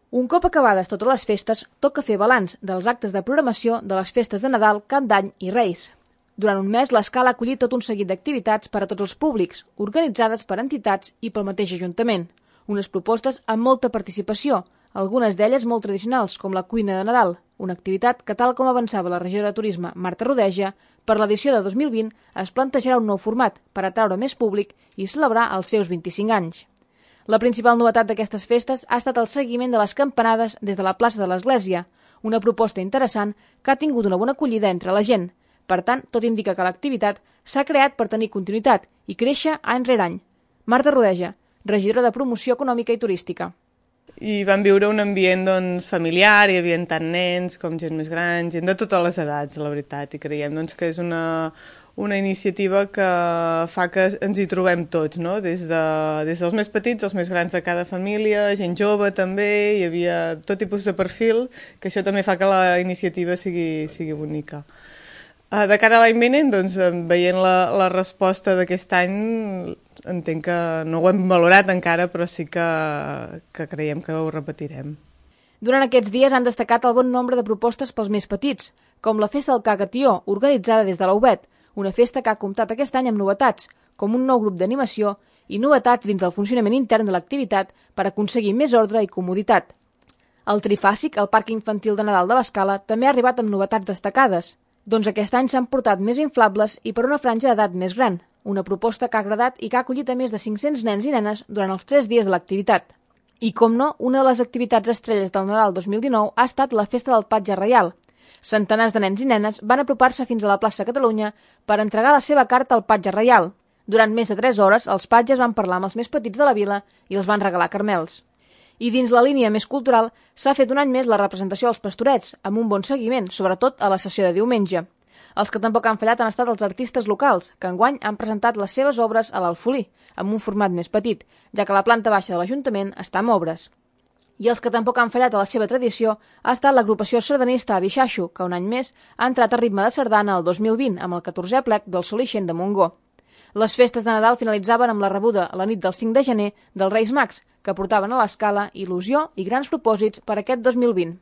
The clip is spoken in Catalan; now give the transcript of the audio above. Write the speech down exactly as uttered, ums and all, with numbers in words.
Un cop acabades totes les festes, toca fer balanç dels actes de programació de les festes de Nadal, Cap d'Any i Reis. Durant un mes, l'Escala ha acollit tot un seguit d'activitats per a tots els públics, organitzades per entitats i pel mateix Ajuntament. Unes propostes amb molta participació, algunes d'elles molt tradicionals, com la cuina de Nadal, una activitat que, tal com avançava la regidora de Turisme, Marta Rodeja, per l'edició de dos mil vint es plantejarà un nou format per atraure més públic i celebrar els seus vint-i-cinc anys. La principal novetat d'aquestes festes ha estat el seguiment de les campanades des de la plaça de l'Església, una proposta interessant que ha tingut una bona acollida entre la gent. Per tant, tot indica que l'activitat s'ha creat per tenir continuïtat i créixer any rere any. Marta Rodeja, regidora de Promoció Econòmica i Turística. I vam viure un ambient doncs, familiar, hi havia tant nens com gent més gran, gent de totes les edats, la veritat, i creiem doncs, que és una, una iniciativa que fa que ens hi trobem tots, no? des, de, des dels més petits, els més grans de cada família, gent jove també, hi havia tot tipus de perfil, que això també fa que la iniciativa sigui, sigui bonica. De cara a l'any vinent, doncs, veient la, la resposta d'aquest any, entenc que no ho hem valorat encara, però sí que, que creiem que ho repetirem. Durant aquests dies han destacat el bon nombre de propostes pels més petits, com la Festa del Cagatió, organitzada des de la U B E T, una festa que ha comptat aquest any amb novetats, com un nou grup d'animació i novetats dins del funcionament intern de l'activitat per aconseguir més ordre i comoditat. El Trifàsic, el Parc Infantil de Nadal de l'Escala, també ha arribat amb novetats destacades. Doncs aquest any s'han portat més inflables i per una franja d'edat més gran, una proposta que ha agradat i que ha acollit a més de cinc-cents nens i nenes durant els tres dies de l'activitat. I, com no, una de les activitats estrelles del Nadal dos mil dinou ha estat la Festa del Patge Reial. Centenars de nens i nenes van apropar-se fins a la plaça Catalunya per entregar la seva carta al Patge Reial. Durant més de tres hores, els patges van parlar amb els més petits de la vila i els van regalar carmels. I dins la línia més cultural s'ha fet un any més la representació dels Pastorets, amb un bon seguiment, sobretot a la sessió de diumenge. Els que tampoc han fallat han estat els artistes locals, que enguany han presentat les seves obres a l'Alfolí, amb un format més petit, ja que la planta baixa de l'Ajuntament està amb obres. I els que tampoc han fallat a la seva tradició ha estat l'agrupació sardanista Abixaixo, que un any més ha entrat a ritme de sardana el dos mil vint amb el catorzè plec del Sol Ixent de Montgó. Les festes de Nadal finalitzaven amb la rebuda a la nit del cinc de gener dels Reis Mags, que portaven a l'Escala il·lusió i grans propòsits per aquest dos mil vint.